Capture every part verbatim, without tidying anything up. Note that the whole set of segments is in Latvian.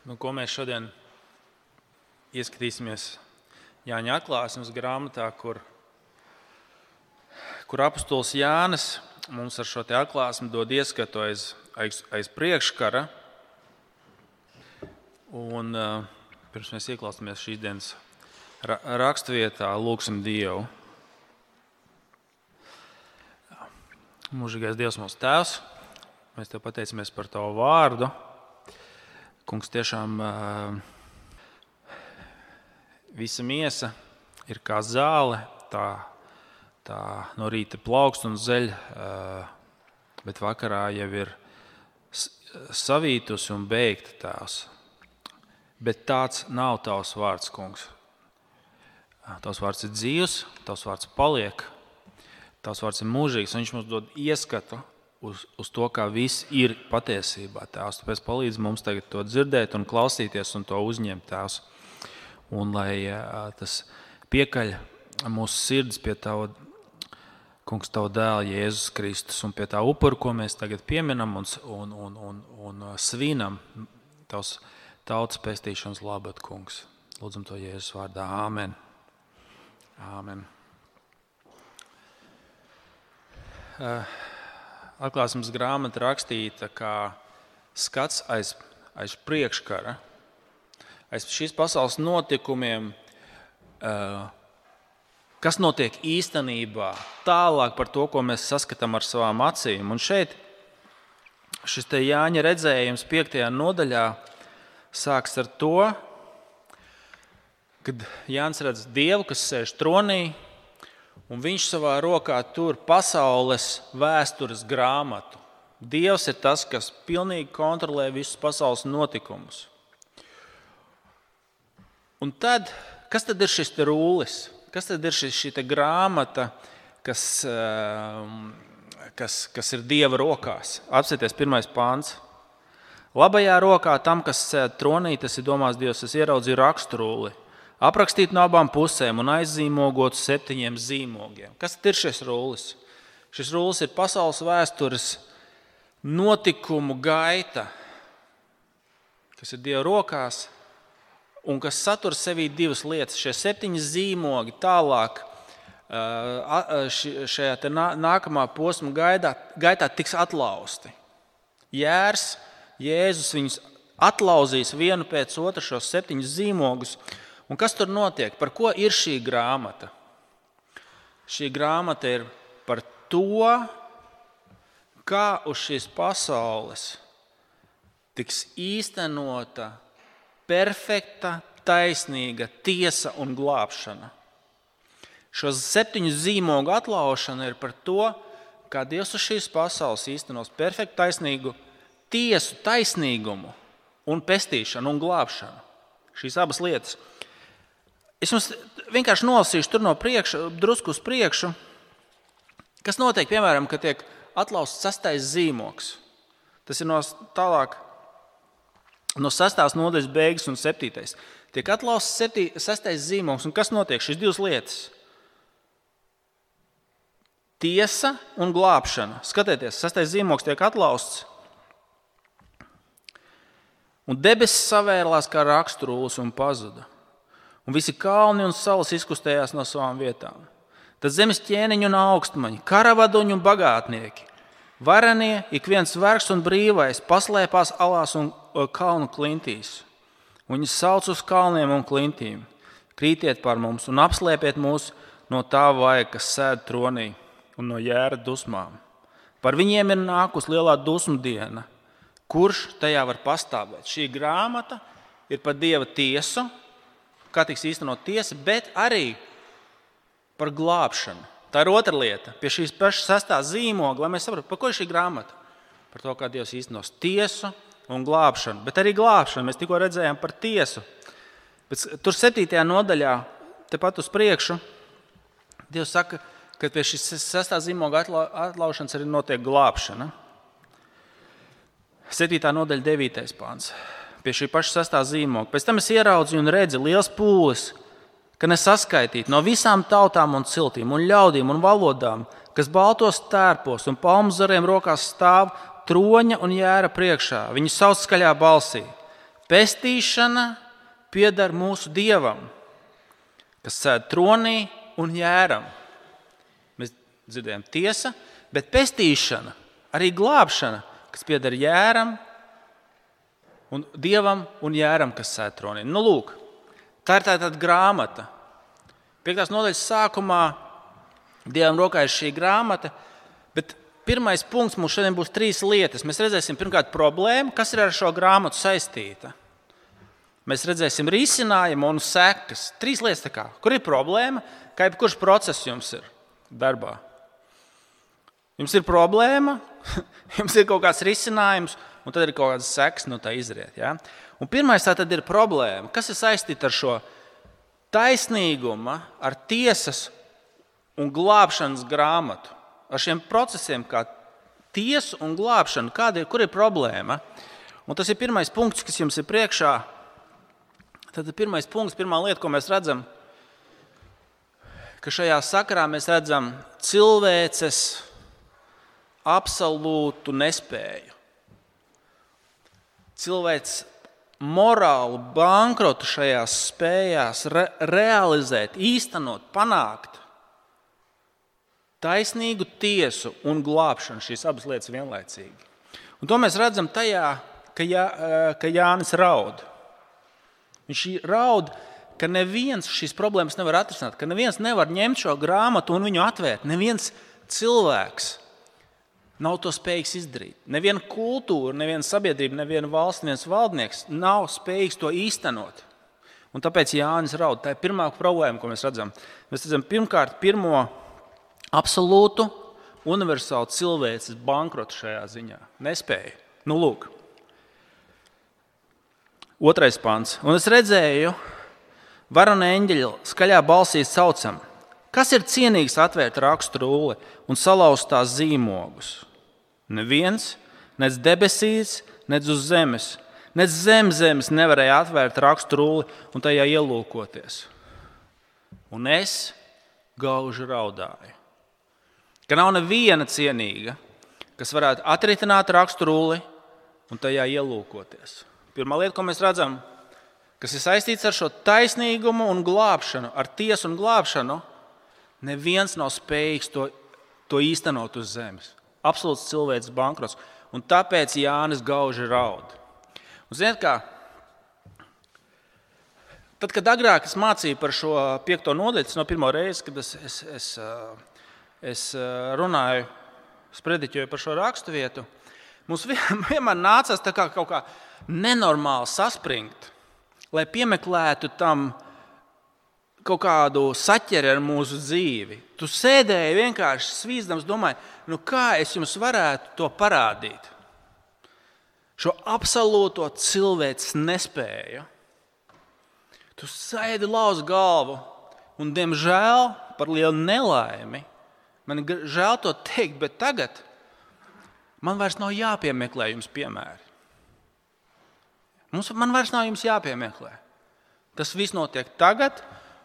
Nu, ko mēs šodien ieskatīsimies Jāņa atklāsmes grāmatā, kur, kur apostols Jānis mums ar šo te atklāsmi dod ieskatu aiz, aiz, aiz priekškara. Un uh, pirms mēs ieklausāmies šīs dienas ra- rakstvietā, lūgsim Dievu. Mūžīgais Dievs, mūsu Tēvs, mēs Tev pateicamies par Tavu vārdu. Kungs, tiešām uh, visa miesa ir kā zāle, tā, tā no rīta plaukst un zeļ, uh, bet vakarā jau ir savītus un beigta Tēvs. Bet tāds nav Tavs vārds, Kungs. Tavs vārds ir dzīvs, Tavs vārds paliek, Tavs vārds ir mūžīgs, un viņš mums dod ieskatu uz, uz to, kā viss ir patiesībā, Tēvs. Tāpēc palīdz mums tagad to dzirdēt un klausīties un to uzņemt, Tēvs. Un lai uh, tas piekaļ mūsu sirds pie Tava, Kungs, Tava dēla Jēzus Kristus un pie tā upura, ko mēs tagad pieminam un, un, un, un, un svinam, Tavs tautas pestīšanas labad, Kungs. Lūdzam to Jēzus vārdā. Āmen. Āmen. Uh, Atklāsmes grāmata rakstīta kā skats aiz, aiz priekškara, aiz šīs pasaules notikumiem, uh, kas notiek īstenībā, tālāk par to, ko mēs saskatām ar savām acīm. Un šeit šis te Jāņa redzējums piektajā nodaļā sāks ar to, kad Jānis redz Dievu, kas sēž tronī, un viņš savā rokā tur pasaules vēstures grāmatu. Dievs ir tas, kas pilnīgi kontrolē visus pasaules notikumus. Un tad, kas tad ir šis te rūlis? Kas tad ir šis, šī te grāmata, kas, kas, kas ir Dieva rokās? Apsieties pirmais pāns. Labajā rokā tam, kas sēd tronī, tas ir domās Dievs, es ieraudzīju raksturūli, aprakstīt no abām pusēm un aizzīmogot septiņiem zīmogiem. Kas ir šis rūlis? Šis rūlis ir pasaules vēstures notikumu gaita, kas ir Dieva rokās un kas satur sevī divas lietas. Šie septiņi zīmogi tālāk šajā te nākamā posma gaitā, gaitā tiks atlausti. Jērs, Jēzus viņus atlauzīs vienu pēc otru šos septiņus zīmogus. Un kas tur notiek? Par ko ir šī grāmata? Šī grāmata ir par to, kā uz šīs pasaules tiks īstenota perfekta, taisnīga tiesa un glābšana. Šos septiņu zīmogu atlaušana ir par to, kā Dievs uz šīs pasaules īstenos perfektu, taisnīgu tiesu, taisnīgumu un pestīšanu un glābšanu. Šīs abas lietas. Es jums vienkārši nolasīšu tur no priekša, drusku uz priekšu, kas notiek, piemēram, kad tiek atlausts sastais zīmogs. Tas ir no tālāk, no sastās nodaļas beigas un septītais. Tiek atlausts septī, sastais zīmogs, un kas notiek? Šīs divas lietas. Tiesa un glābšana. Skatieties, sastais zīmogs tiek atlausts. Un debesis savērlās kā raksturūlis un pazuda. Un visi kalni un salas izkustējās no savām vietām. Tad zemes ķēniņi un augstmaņi, karavadoņi un bagātnieki, varenie, ik viens vergs un brīvais, paslēpās alās un kalnu klintīs. Un viņi sauc uz kalniem un klintīm: krītiet par mums un apslēpiet mūs no tā vaiga, kas sēd tronī, un no Jēra dusmām. Par viņiem ir nākus lielā dusmu diena. Kurš tajā var pastāvēt? Šī grāmata ir par Dieva tiesu, kā tiks īstenot tiesa, bet arī par glābšanu. Tā ir otra lieta. Pie šīs pašas sastā zīmoga, lai mēs saprastu, par ko ir šī grāmata? Par to, kā Dievs īstenos tiesu un glābšanu. Bet arī glābšanu. Mēs tikko redzējām par tiesu. Bet tur septītajā nodaļā, tepat uz priekšu, Dievs saka, ka pie šīs sastā zīmoga atlaušanas arī notiek glābšana. septītā nodaļa, devītais pāns. Pie šī paša sastā zīmoga. Pēc tam es ieraudzīju un redzu liels pūlis, ka nesaskaitīt no visām tautām un ciltīm un ļaudīm un valodām, kas baltos tērpos un palmu zariem rokās stāv troņa un Jēra priekšā. Viņi sauc skaļā balsī: Pestīšana pieder mūsu Dievam, kas sēd tronī un jēram. Mēs dzirdējam tiesa, bet pestīšana, arī glābšana, kas pieder jēram un Dievam un jēram, kas sēd tronī. Nu, lūk, tā ir tāda grāmata. Piektās nodaļas sākumā Dievam rokā ir šī grāmata, bet pirmais punkts mums šodien būs trīs lietas. Mēs redzēsim pirmkārt problēmu, kas ir ar šo grāmatu saistīta. Mēs redzēsim risinājumu un sekas. Trīs lietas tā kā. Kur ir problēma? Kā jebkurš process jums ir darbā? Jums ir problēma, jums ir kaut kāds risinājums, un tad ir kaut kādas sekas no tā izriet. Ja? Un pirmais tā tad ir problēma. Kas ir saistīta ar šo taisnīguma, ar tiesas un glābšanas grāmatu? Ar šiem procesiem, kā tiesa un glābšana, kāda ir, kur ir problēma? Un tas ir pirmais punkts, kas jums ir priekšā. Tad pirmais punkts, pirmā lieta, ko mēs redzam, ka šajā sakarā mēs redzam cilvēces absolūtu nespēju. Cilvēks morālu bankrotu šajās spējās re- realizēt, īstenot, panākt taisnīgu tiesu un glābšanu, šīs abas lietas vienlaicīgi. Un to mēs redzam tajā, ka, Jā, ka Jānis raud. Viņš raud, ka neviens šīs problēmas nevar atrisināt, ka neviens nevar ņemt šo grāmatu un viņu atvērt. Neviens cilvēks nav to spējīgs izdarīt. Neviena kultūra, neviena sabiedrība, neviena valsts, neviens valdnieks nav spējīgs to īstenot. Un tāpēc Jānis raud. Tā ir pirmā problēma, ko mēs redzam. Mēs redzam pirmkārt pirmo absolūtu, universālu cilvēces bankrotu šajā ziņā. Nespēja. Nu, lūk. Otrais pants. Un es redzēju, varona eņģeļa skaļā balsī saucam, kas ir cienīgs atvērt rakstu rulli un salauzt tās zīmogus? Neviens, nec debesīs, nec uz zemes, nec zem zemes nevarēja atvērt rakstu rulli un tajā ielūkoties. Un es gauži raudāju. Ka nav neviena cienīga, kas varētu atritināt rakstu rulli un tajā ielūkoties. Pirmā lieta, ko mēs redzam, kas ir saistīts ar šo taisnīgumu un glābšanu, ar tiesu un glābšanu, neviens nav spējīgs to, to īstenot uz zemes. Absolūts cilvēks bankrots. Un tāpēc Jānis gauži raud. Un ziniet kā? Tad, kad agrāk es mācīju par šo piekto nodaļu, tas no pirmo reizi, kad es, es, es, es runāju, sprediķoju par šo raksturvietu, mums vienmēr nācās tā kā kaut kā nenormāli saspringt, lai piemeklētu tam kaut kādu saķeri ar mūsu dzīvi. Tu sēdēji vienkārši svīzdams, domāji, nu kā es jums varētu to parādīt? Šo absolūto cilvēces nespēju. Tu sēdi lauz galvu un, diemžēl, par lielu nelaimi, man ir žēl to teikt, bet tagad man vairs nav jāpiemeklē jums piemēri. Mums, man vairs nav jums jāpiemeklē. Tas viss notiek tagad,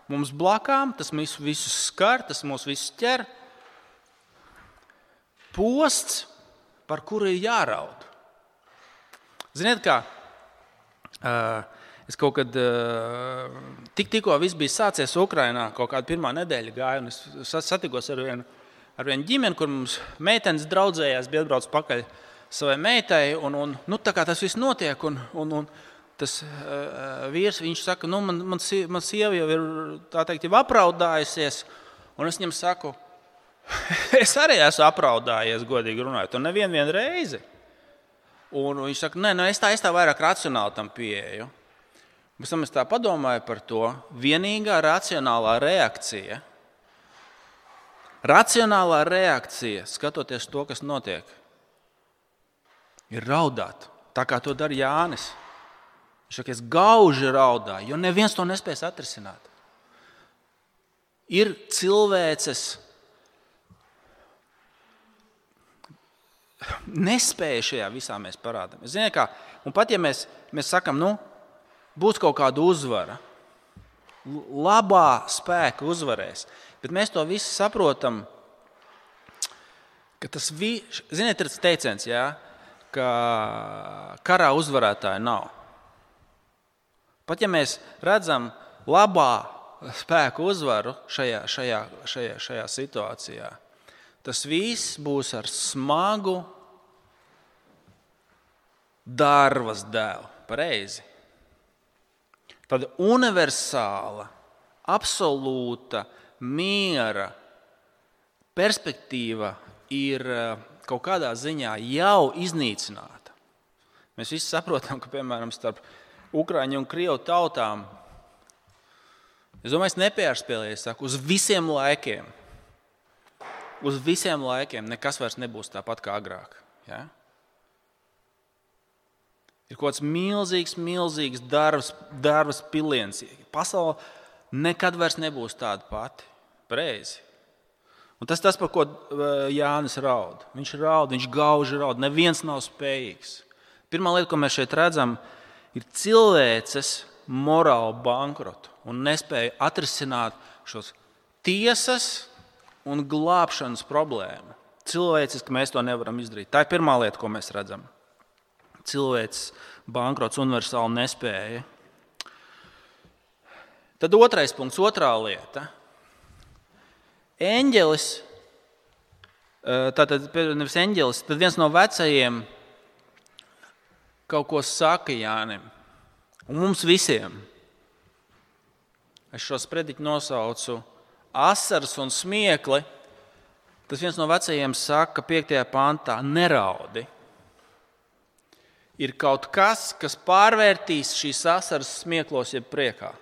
mums blakām, tas mūs visus skar, tas mūs visus ķer. Posts, par kuru ir jāraud. Ziniet kā, es kaut kad, tik tikko viss bija sācies Ukrainā, kaut kāda pirmā nedēļa gāja, un es satikos ar vienu, ar vienu ģimeni, kur mums meitenes draudzējās, bija atbrauc pakaļ savai meitai, un, un nu, tā kā tas viss notiek, un, un, un tas uh, vīrs, viņš saka, nu, man, man, man sieva jau ir, tā teikt, jau apraudājusies, un es viņam saku, es arī esmu apraudājies, godīgi runājot, un nevienu vienu reizi. Un viņš saka, nē, nu, es tā, es tā vairāk racionāli tam pieeju. Pēc tam es tā padomāju par to, vienīgā racionālā reakcija, racionālā reakcija, skatoties to, kas notiek, ir raudāt, tā kā to dara Jānis. Viņš saka, es gauži raudāju, jo neviens to nespēs atrisināt. Ir cilvēces nespēja šajā visā mēs parādām. Ziniet kā, un pat ja mēs, mēs sakam, nu, būs kaut kāda uzvara, labā spēka uzvarēs, bet mēs to visu saprotam, ka tas, vi... ziniet, ir tas teiciens, jā, ka karā uzvarētāja nav. Pat ja mēs redzam labā spēku uzvaru šajā, šajā, šajā, šajā situācijā, tas viss būs ar smagu dārvas dēlu. Pareizi. Tāda universāla, absolūta miera perspektīva ir kaut kādā ziņā jau iznīcināta. Mēs visi saprotam, ka, piemēram, starp Ukraiņu un Krievu tautām, es domāju, es nepārspēlēju, es saku, uz visiem laikiem, uz visiem laikiem nekas vairs nebūs tāpat kā agrāk. Ja? Ir kaut kāds milzīgs, milzīgs darbs, darbs piliens. Pasaule nekad vairs nebūs tāda pati. Pareizi. Un tas tas, par ko Jānis raud. Viņš raud, viņš gauži raud. Neviens nav spējīgs. Pirmā lieta, ko mēs šeit redzam, ir cilvēces morālu bankrotu un nespēja atrisināt šos tiesas un glābšanas problēmu. Cilvēces, ka mēs to nevaram izdarīt. Tā ir pirmā lieta, ko mēs redzam. Cilvēks bankrots, universāla nespēja. Tad otrais punkts, otrā lieta. Eņģelis, tātad nevis eņģelis, tad viens no vecajiem kaut ko saka Jānim. Un mums visiem. Es šo sprediķu nosaucu asaras un smiekli. Tas viens no vecajiem saka piektajā pantā, neraudi. Ir kaut kas, kas pārvērtīs šīs asaras smieklos jeb priekā.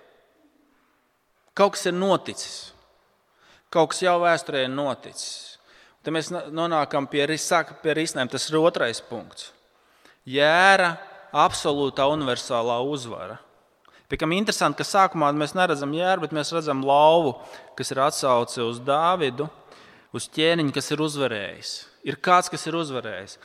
Kaut kas ir noticis. Kaut kas jau vēsturē ir noticis. Tad mēs nonākam pie, pie risinājuma. Tas ir otrais punkts. Jēra absolūtā universālā uzvara. Piekam interesanti, ka sākumā mēs neredzam jēru, bet mēs redzam lauvu, kas ir atsauce uz Dāvidu, uz ķēniņu, kas ir uzvarējis. Ir kāds, kas ir uzvarējis.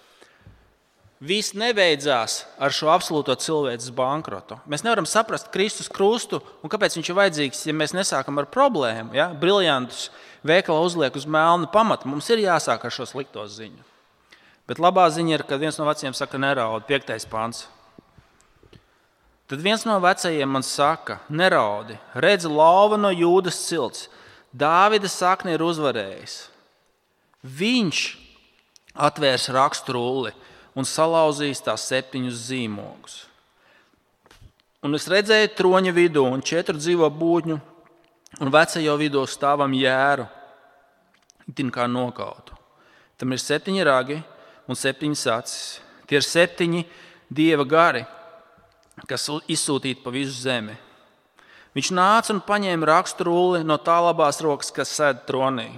Viss nebeidzās ar šo absolūto cilvēces bankrotu. Mēs nevaram saprast Kristus krustu un kāpēc viņš ir vajadzīgs, ja mēs nesākam ar problēmu. Ja? Briljantus veikalā uzliek uz melnu pamatu. Mums ir jāsāk ar šo slikto ziņu. Bet labā ziņa ir, kad viens no vecajiem saka neraudi, piektais pants. Tad viens no vecajiem man saka, neraudi, redzi lauva no Jūdas cilts. Dāvida sakne ir uzvarējis. Viņš atvērs rakstrulli un salauzīs tās septiņus zīmogus. Un es redzēju troņa vidū un četru dzīvo būtņu un vecajo vidū stāvam jēru, itin kā nokautu. Tam ir septiņi ragi un septiņas acis. Tie ir septiņi dieva gari, kas izsūtīti pa visu zemi. Viņš nāca un paņēma rakstrulli no tā labās rokas, kas sēd tronī.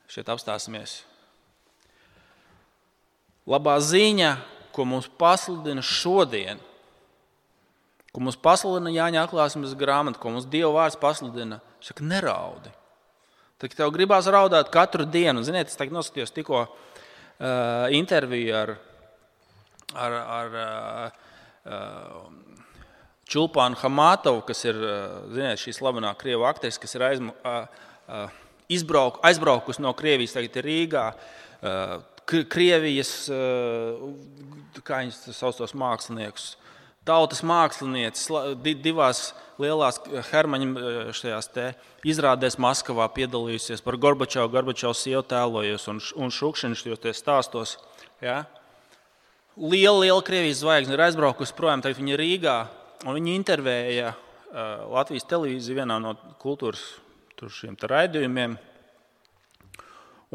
Šeit apstāsimies. Labā ziņa, ko mums pasludina šodien, ko mums pasludina Jāņa atklāsmes grāmata, ko mums Dieva vārds pasludina, saka, neraudi. Tad tev gribās raudāt katru dienu. Ziniet, es tagad noskatījos tikko uh, interviju ar, ar, ar uh, Čulpānu Hamātovu, kas ir uh, ziniet, šī slavenā krievu aktrise, kas ir aizmu, uh, uh, izbrauk, aizbraukusi no Krievijas, tagad ir Rīgā. Uh, Krievijas, uh, kā viņas sauc tos māksliniekus, tautas mākslinieces, divās lielās Hermaņa šajās te izrādēs Maskavā piedalījusies par Gorbačovu, Gorbačovs sievu tēlojusi un, un Šukšinu šajos te stāstos. Ja? Liela, liela Krievijas zvaigzne ir aizbraukusi projām, tagad viņa Rīgā, un viņa intervēja uh, Latvijas televīziju vienā no kultūras tur šiem te raidījumiem,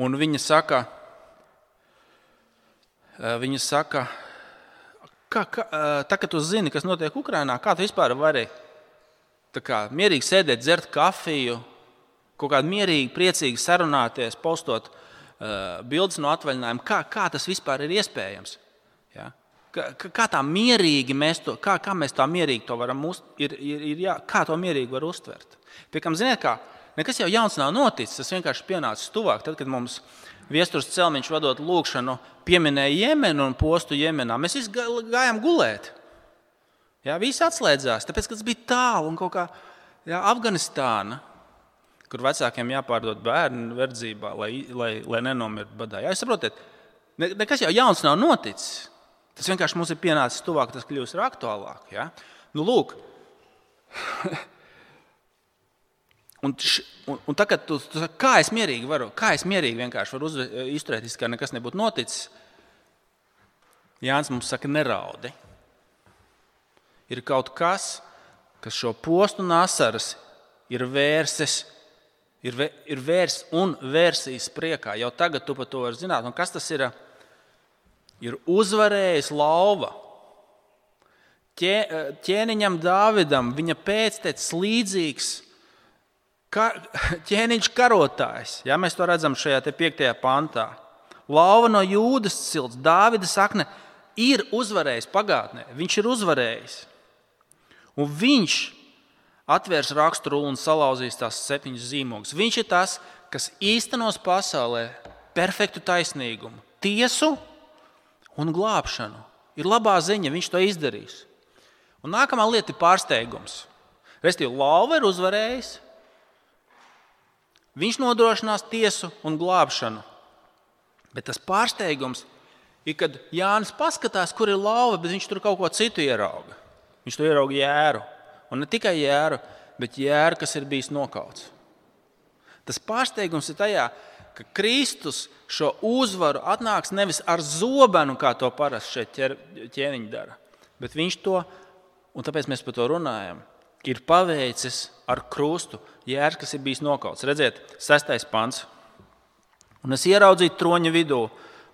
un viņa saka, uh, viņa saka, Kā, kā, tā, kad tu zini, kas notiek Ukrainā, kā tu vispār vari tā kā, mierīgi sēdēt, dzert kafiju, kaut kādā mierīgi, priecīgi sarunāties, postot uh, bildes no atvaļinājuma, kā, kā tas vispār ir iespējams? Ja? Kā, kā tā mierīgi mēs to, kā, kā mēs tā mierīgi to varam, uz, ir, ir, ir jā, kā to mierīgi var uztvert? Piekam, ziniet kā, nekas jau jauns nav noticis, tas vienkārši pienācis tuvāk, tad, kad mums Viesturs Celmiņš vadot lūkšanu pieminēja Jemenu un postu Jemenā. Mēs visi gājām gulēt. Jā, visi atslēdzās, tāpēc, ka tas bija tālu un kaut kā jā, Afganistāna, kur vecākiem jāpārdod bērnu verdzībā, lai, lai, lai nenomirtu badā. Jā, jūs saprotiet, nekas jau jauns nav noticis. Tas vienkārši mums ir pienācis tuvāk, tas kļūst ar aktuālāk. Ja? Nu, lūk. un, š, un, un tagad tu, tu saki, kā es mierīgi varu, kā es mierīgi vienkārši varu uz, izturēties, kā nekas nebūtu noticis. Jānis mums saka, neraudi. Ir kaut kas, kas šo postu un asaras ir vērses, ir, vē, ir vērs un vērsīs priekā. Jau tagad tu par to vari zināt. Un kas tas ir? Ir uzvarējis lauva. Ķē, ķēniņam Dāvidam, viņa pēctecis līdzīgs kar, ķēniņš karotājs. Ja, mēs to redzam šajā te piektajā pantā. Lauva no Jūdas cilts, Dāvida sakne ir uzvarējis pagātnē. Viņš ir uzvarējis. Un viņš atvērs raksturuli un salauzīs tās septiņas zīmogus. Viņš ir tas, kas īstenos pasaulē perfektu taisnīgumu, tiesu un glābšanu. Ir labā ziņa, viņš to izdarīs. Un nākamā lieta ir pārsteigums. Restīvi, lauva ir uzvarējis. Viņš nodrošinās tiesu un glābšanu. Bet tas pārsteigums ir, kad Jānis paskatās, kur ir lauva, bet viņš tur kaut ko citu ierauga. Viņš tur ierauga jēru. Un ne tikai jēru, bet jēru, kas ir bijis nokauts. Tas pārsteigums ir tajā, ka Kristus šo uzvaru atnāks nevis ar zobenu, kā to parasti šeit ķēniņi dara, bet viņš to, un tāpēc mēs par to runājam, ir paveicis ar krustu jērs, kas ir bijis nokauts. Redziet, sestais pants. Un es ieraudzīju troņa vidū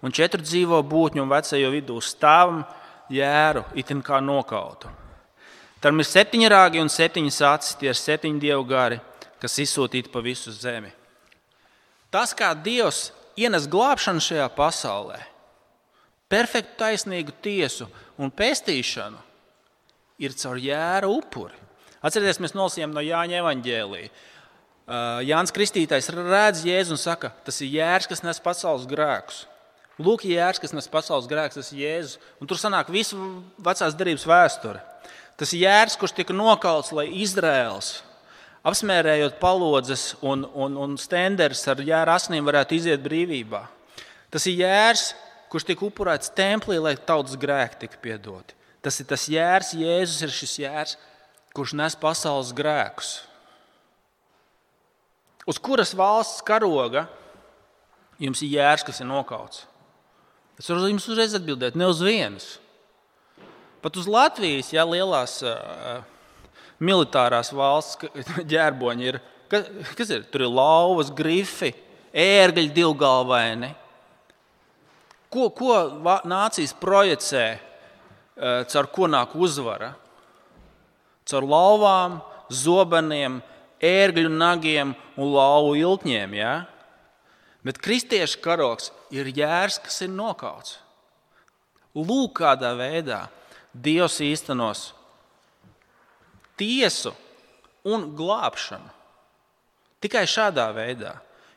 un četru dzīvo būtņu un vecajo vidū stāvam jēru, itin kā nokautu. Tam ir septiņi rāgi un septiņas acis, tie ir septiņi dievu gari, kas izsūtīti pa visu zemi. Tas, kā Dievs ienes glābšanu šajā pasaulē, perfektu taisnīgu tiesu un pestīšanu, ir caur jēra upuri. Atcerieties, mēs nolasījām no Jāņa evaņģēlija. Jānis Kristītājs redz Jēzu un saka, tas ir jērs, kas nes pasaules grēkus. Lūk, jērs, kas nes pasaules grēkus, tas ir Jēzus. Un tur sanāk visu vecās derības vēsture. Tas ir jērs, kurš tika nokauts, lai Izraēls, apsmērējot palodzes un, un, un stenderis ar jēra asinīm, varētu iziet brīvībā. Tas ir jērs, kurš tika upurēts templī, lai tautas grēki tika piedoti. Tas ir tas jērs, Jēzus ir šis jērs, kurš nes pasaules grēkus. Uz kuras valsts karoga jums ir jērs, kas ir nokauts? Es varu jums uzreiz atbildēt, ne uz vienas. Pat uz Latvijas, ja lielās uh, militārās valsts ģērboņi ir, kas, kas ir? Tur ir lauvas, grifi, ērgļi divgalvaini. Ko, ko nācijas projicē, caur ko nāk uzvara? Caur lauvām, zobeniem, ērgļu nagiem un lauvu ilkņiem. Ja? Bet kristiešu karogs ir jērs, kas ir nokauts. Lūk, kādā veidā Dievs īstenos tiesu un glābšanu. Tikai šādā veidā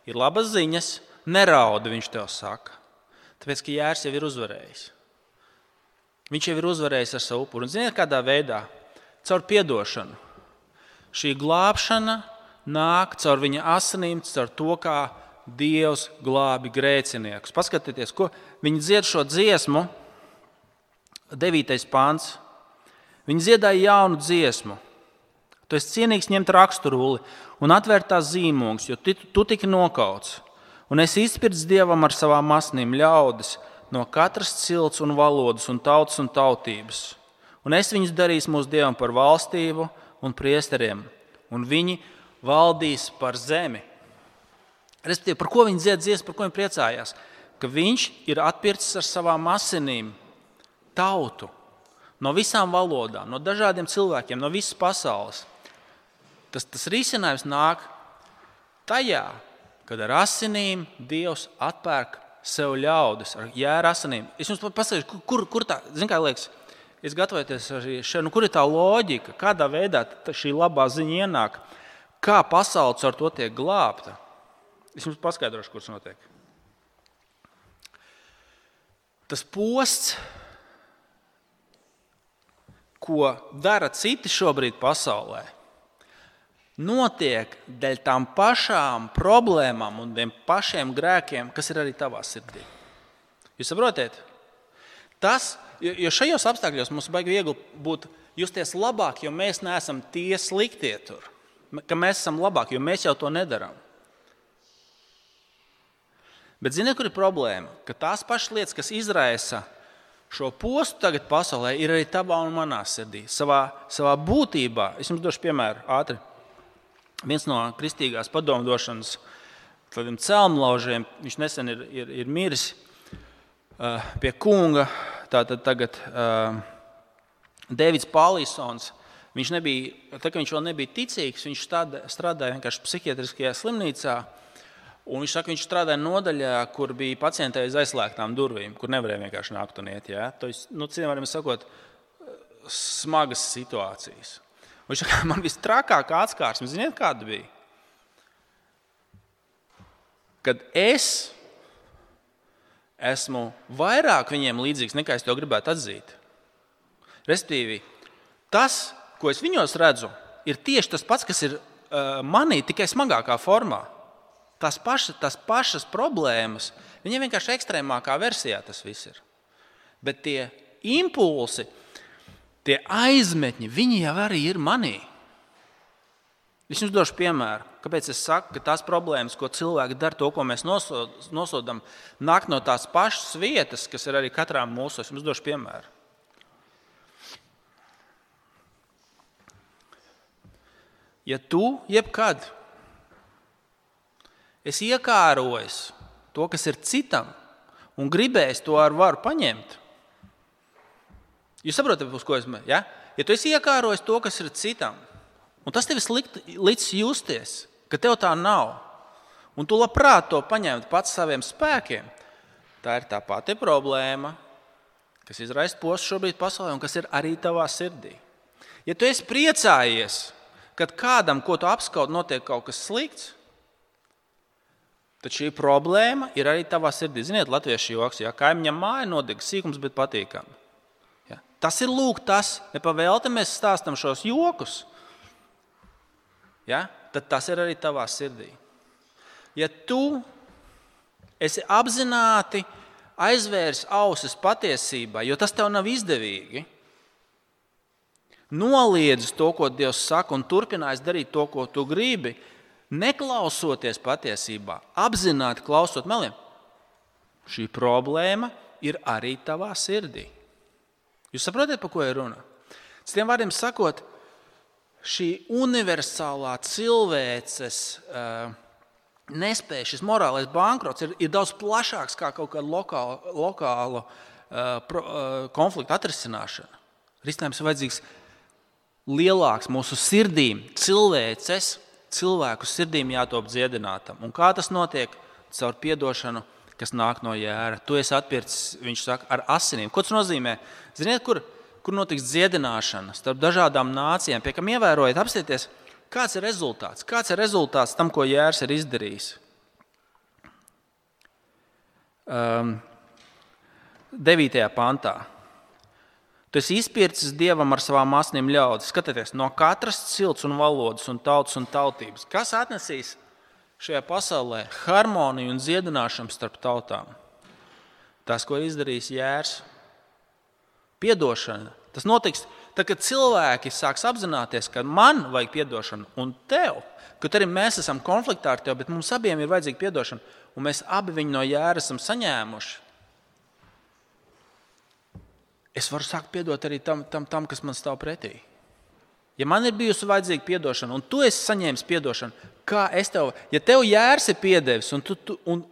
ir labas ziņas, neraudi, viņš tev saka. Tāpēc, ka jērs jau ir uzvarējis. Viņš jau ir uzvarējis ar savu upuru. Un ziniet, kādā veidā? Caur piedošanu. Šī glābšana nāk caur viņa asinīm, caur to, kā Dievs glābi grēciniekus. Paskatieties, ko viņi dzied šo dziesmu, devītais pants. Viņi dziedāja jaunu dziesmu. Tu esi cienīgs ņemt raksturuli un atvērt tās zīmogus, jo tu, tu tiki nokauts. Un es izpirds Dievam ar savām asinīm ļaudis no katras cilts un valodas un tautas un tautības. Un es viņus darīšu mūsu Dievam par valstību un priesteriem, un viņi valdīs par zemi. Respektīvi, par ko viņi dzied dziesmu, par ko viņi priecājās? Ka viņš ir atpircis ar savām asinīm tautu no visām valodām, no dažādiem cilvēkiem, no visas pasaules. Tas, tas risinājums nāk tajā, kad ar asinīm Dievs atpērk sev ļaudis, ar jēra asinīm. Es jums pasaku, kur, kur tā, zin kā liekas, es gatavoties arī šeit, nu kur ir tā loģika, kādā veidā šī labā ziņa ienāk, kā pasaule ar to tiek glābta. Es jums paskaidrošu, kurš notiek. Tas posts, ko dara citi šobrīd pasaulē, notiek dēļ tām pašām problēmām un tiem pašiem grēkiem, kas ir arī tavā sirdī. Jūs saprotiet? Tas, Jo, jo šajos apstākļos mums baigi viegli būt justies labāk, jo mēs neesam tie sliktie tur. Ka mēs esam labāki, jo mēs jau to nedaram. Bet ziniet, kur ir problēma? Ka tās pašas lietas, kas izraisa šo postu tagad pasaulē, ir arī tavā un manā sirdī. Savā, savā būtībā, es jums došu piemēru ātri. Viens no kristīgās padomdošanas tādiem celmlaužiem, viņš nesen ir, ir, ir miris uh, pie kunga, tātad tagad uh, Deivids Pālīsons. Viņš nebija, tā kā viņš vēl nebija ticīgs, viņš strādāja vienkārši psihiatriskajā slimnīcā. Un viņš saka, viņš strādāja nodaļā, kur bija pacientē aiz aizslēgtām durvīm, kur nevarēja vienkārši nākt un iet. Ja? To ir, nu, cienījumiem sakot, smagas situācijas. Un viņš saka, man visstrakākā atskārsme, ziniet, kāda bija? Kad es esmu vairāk viņiem līdzīgs, nekā es to gribētu atzīt. Respektīvi, tas, ko es viņos redzu, ir tieši tas pats, kas ir uh, manī, tikai smagākā formā. Tās pašas, tās pašas problēmas, viņiem vienkārši ekstrēmākā versijā tas viss ir. Bet tie impulsi, tie aizmetņi, viņi jau arī ir manī. Es jums došu piemēru, kāpēc es saku, ka tās problēmas, ko cilvēki dara, to, ko mēs nosodam, nāk no tās pašas vietas, kas ir arī katrā mūsu. Es jums došu piemēru. Ja tu jebkad es iekārojos to, kas ir citam, un gribēs to ar varu paņemt. Jūs saprotat, uz ko es mēģinu? Ja? Ja tu esi iekārojis to, kas ir citam, un tas tev līdz justies, ka tev tā nav, un tu labprāt to paņemt pats saviem spēkiem, tā ir tā pati problēma, kas izraisa postu šobrīd pasaulē, un kas ir arī tavā sirdī. Ja tu esi priecājies, kad kādam, ko tu apskaut, notiek kaut kas slikts, tad šī problēma ir arī tavā sirdī. Ziniet, latviešu joks, ja kaimiņam māja nodeg sīkums, bet patīkami. Ja? Tas ir lūk tas, nepavēlti mēs stāstam šos jokus, ja? Tad tas ir arī tavā sirdī. Ja tu esi apzināti aizvērs ausis patiesībā, jo tas tev nav izdevīgi, noliedzis to, ko Dievs saka, un turpinājis darīt to, ko tu gribi, neklausoties patiesībā, apzināti klausot meliem, šī problēma ir arī tavā sirdī. Jūs saprotat, par ko ir runa? Citiem vārdiem sakot, šī universālā cilvēces uh, nespēja, šis morālais bankrots ir, ir daudz plašāks kā kaut kāda lokāla, lokāla uh, pro, uh, konflikta atrisināšana. Risinājums ir vajadzīgs lielāks mūsu sirdīm, cilvēces, cilvēku sirdīm jātop dziedinātam. Un kā tas notiek? Caur piedošanu, kas nāk no jēra. Tu esi atpircis, viņš saka, ar asinīm. Ko tas nozīmē? Ziniet, kur, kur notiks dziedināšana starp dažādām nācijām, pie kam ievērojat, apstieties, kāds ir rezultāts? Kāds ir rezultāts tam, ko jērs ir izdarījis? Um, devītajā pantā. Tu esi izpircis Dievam ar savām asinīm ļaudis. Skatieties, no katras cilts un valodas un tautas un tautības. Kas atnesīs šajā pasaulē harmoniju un dziedināšanu starp tautām? Tas, ko izdarīs jērs. Piedošana. Tas notiks, tad, kad cilvēki sāks apzināties, ka man vajag piedošanu un tev, ka arī mēs esam konfliktā ar tevi, bet mums abiem ir vajadzīga piedošana, un mēs abi viņu no jēra esam saņēmuši. Es varu sākt piedot arī tam, tam, tam, kas man stāv pretī. Ja man ir bijusi vajadzīga piedošana, un tu esi saņēmis piedošanu, kā es tev, ja tev jērs ir piedevis, un, tu, tu, un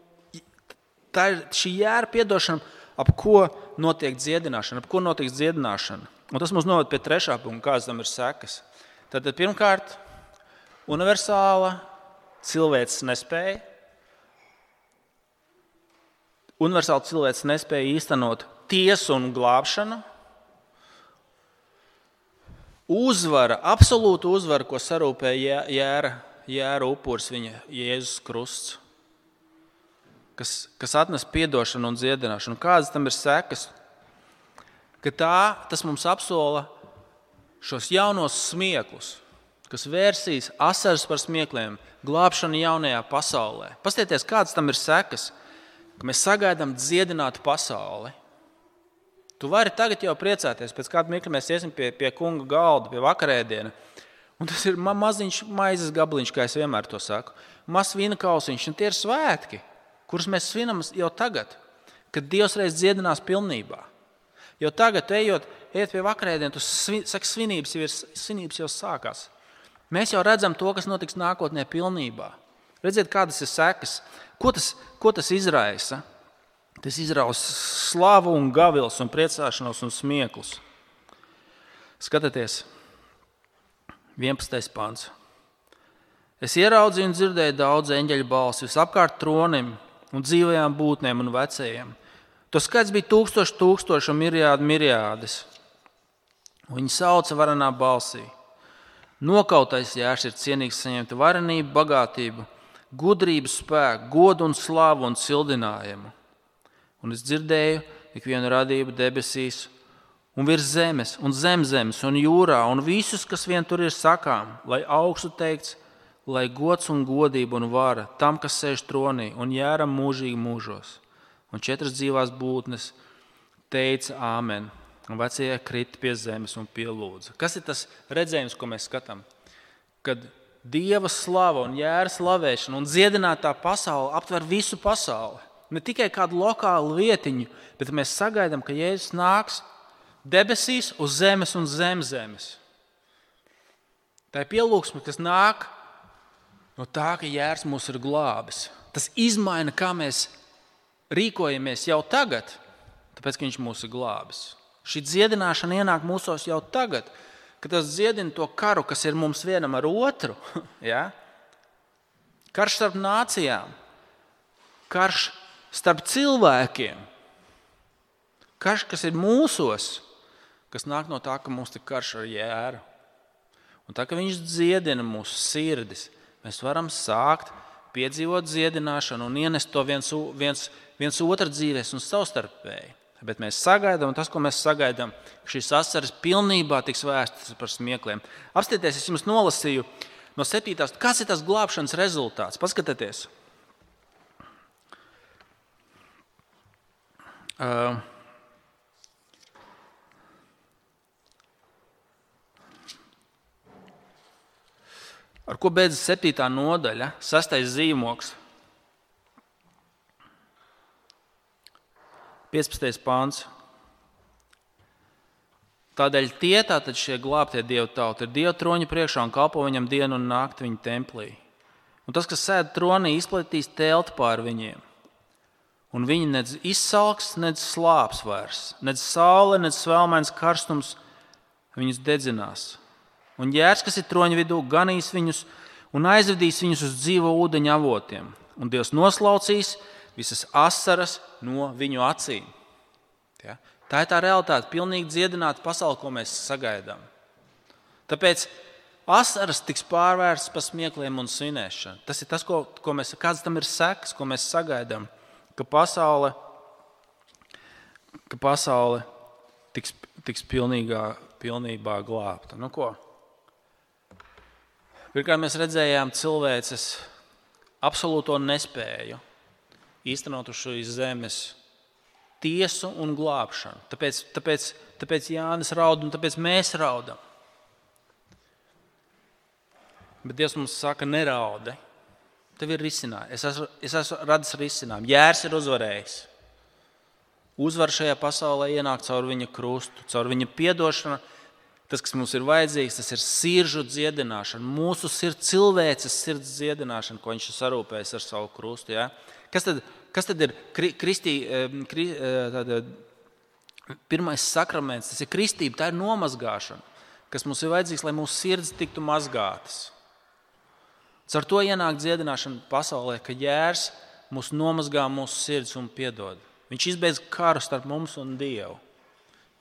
tā ir šī jēra piedošana, ap ko notiek dziedināšana, ap ko notiek dziedināšana. Un tas mums noved pie trešā punkta, kādas tam ir sekas. Tātad pirmkārt, universāla cilvēces nespēja. Universāla cilvēces nespēja īstenot tiesu un glābšanu, uzvara, absolūta uzvara, ko sarūpēja jēra, jēra upuris viņa Jēzus krusts, kas, kas atnes piedošanu un dziedināšanu. Kādas tam ir sekas? Ka tā, tas mums apsola šos jaunos smieklus, kas vērsīs asaras par smiekliem, glābšanu jaunajā pasaulē. Paskatieties, kādas tam ir sekas, ka mēs sagaidām dziedinātu pasauli. Tu vari tagad jau priecāties, pēc kāda mirkļa mēs iesim pie, pie kunga galda, pie vakarēdiena. Un tas ir ma- maziņš maizes gabaliņš, kā es vienmēr to saku. Mazs vīna kausiņš, un tie ir svētki, kurus mēs svinam jau tagad, kad Dievs reiz dziedinās pilnībā. Jo tagad, ejot, ejot pie vakarēdiena, tu svi, saki, svinības jau, ir, svinības jau sākās. Mēs jau redzam to, kas notiks nākotnē pilnībā. Redziet, kādas ir sekas. Ko tas, ko tas izraisa? Tas izrausa slavu un gavils un priecāšanos un smieklus. Skatieties, vienpadsmitais pants. Es ieraudzīju un dzirdēju daudz eņģeļu balsi visapkārt tronim un dzīvajām būtnēm un vecajiem. To skaits bija tūkstoši tūkstoši un mirjādi mirjādes. Viņi sauca varenā balsī. Nokautais jērs ir cienīgs saņemt varenību, bagātību, gudrību, spēku, godu un slavu un cildinājumu. Un es dzirdēju ikvienu radību debesīs un virs zemes un zem zemes un jūrā un visus, kas vien tur ir sakām, lai augstu teikts, lai gods un godība un vara tam, kas sēž tronī un jēram mūžīgi mūžos. Un četras dzīvās būtnes teica āmen. Un vecie krita pie zemes un pielūdza. Kas ir tas redzējums, ko mēs skatām? Kad Dieva slava un jēra slavēšana un dziedinātā pasaule aptver visu pasauli. Ne tikai kādu lokālu vietiņu, bet mēs sagaidām, ka Jēzus nāks debesīs uz zemes un zem zemes. Tā ir pielūgsme, kas nāk no tā, ka jērs mūs ir glābis. Tas izmaina, kā mēs rīkojamies jau tagad, tāpēc, ka viņš mūs ir glābis. Šī dziedināšana ienāk mūsos jau tagad, kad tas dziedina to karu, kas ir mums vienam ar otru. Ja? Karš starp nācijām, karš starp cilvēkiem, karš, kas ir mūsos, kas nāk no tā, ka mums ir karš ar jēru. Un tā, ka viņš dziedina mūsu sirdis, mēs varam sākt piedzīvot dziedināšanu un ienest to viens, viens, viens otru dzīvēs un savstarpēji. Bet mēs sagaidām, un tas, ko mēs sagaidām, ka šīs asaras pilnībā tiks vēstas par smiekliem. Apstieties, es jums nolasīju no septītās. Kas ir tas glābšanas rezultāts? Paskatieties. Uh, ar ko beidzas septītā nodaļa, sastais zīmoks. piecpadsmitais pāns. Tādēļ tie, tātad šie glābtie Dieva tauti, ir Dieva troņa priekšā un kalpo viņam dienu un nakti viņa templī. Un tas, kas sēd tronī, izplatīs telti pār viņiem. Un viņi nedz izsalks, nedz slāps vairs, nedz saule, nedz svelmains karstums viņus dedzinās. Un jērs, kas ir troņa vidū, ganīs viņus un aizvedīs viņus uz dzīvo ūdeņa avotiem. Un Dievs noslaucīs visas asaras no viņu acīm. Ja? Tā ir tā realitāte, pilnīgi dziedināta pasaule, ko mēs sagaidām. Tāpēc asaras tiks pārvērstas par smiekliem un svinēšanu. Tas ir tas, ko, ko mēs, kāds tam ir sekas, ko mēs sagaidām, ka pasaule, ka pasaule tiks, tiks pilnīgā, pilnībā glābta. Nu ko? Pirmkārt, mēs redzējām cilvēces absolūto nespēju īstenot uz šīs zemes tiesu un glābšanu. Tāpēc, tāpēc, tāpēc Jānis raud un tāpēc mēs raudam. Bet Dievs mums saka, neraudi. Tev ir risinājums. Es esmu, es esmu radis risinājumu. Jērs ir uzvarējis. Uzvar šajā pasaulē ienāk caur viņa krustu, caur viņa piedošanu. Tas, kas mums ir vajadzīgs, tas ir siržu dziedināšana. Mūsu sirds, cilvēces sirds dziedināšana, ko viņš ir sarūpējis ar savu krustu. Ja? Kas tad, kas tad ir kristī, kri, tāda, pirmais sakraments? Tas ir kristība, tā ir nomazgāšana, kas mums ir vajadzīgs, lai mūsu sirds tiktu mazgātas. Caur to ienāk dziedināšana pasaulē, ka jērs mūs nomazgā mūsu sirds un piedod. Viņš izbeidz karu starp mums un Dievu.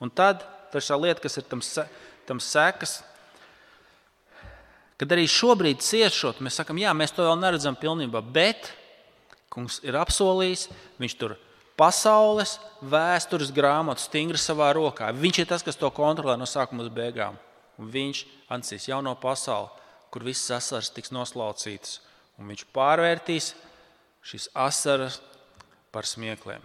Un tad trešā lieta, kas ir tam, tam sekas, kad arī šobrīd ciešot, mēs sakam, jā, mēs to vēl neredzam pilnībā, bet Kungs ir apsolījis, viņš tur pasaules vēstures grāmatu stingri savā rokā. Viņš ir tas, kas to kontrolē no sākuma līdz beigām. Un viņš ansīs jauno pasauli, kur visas asaras tiks noslaucītas. Un viņš pārvērtīs šīs asaras par smiekliem.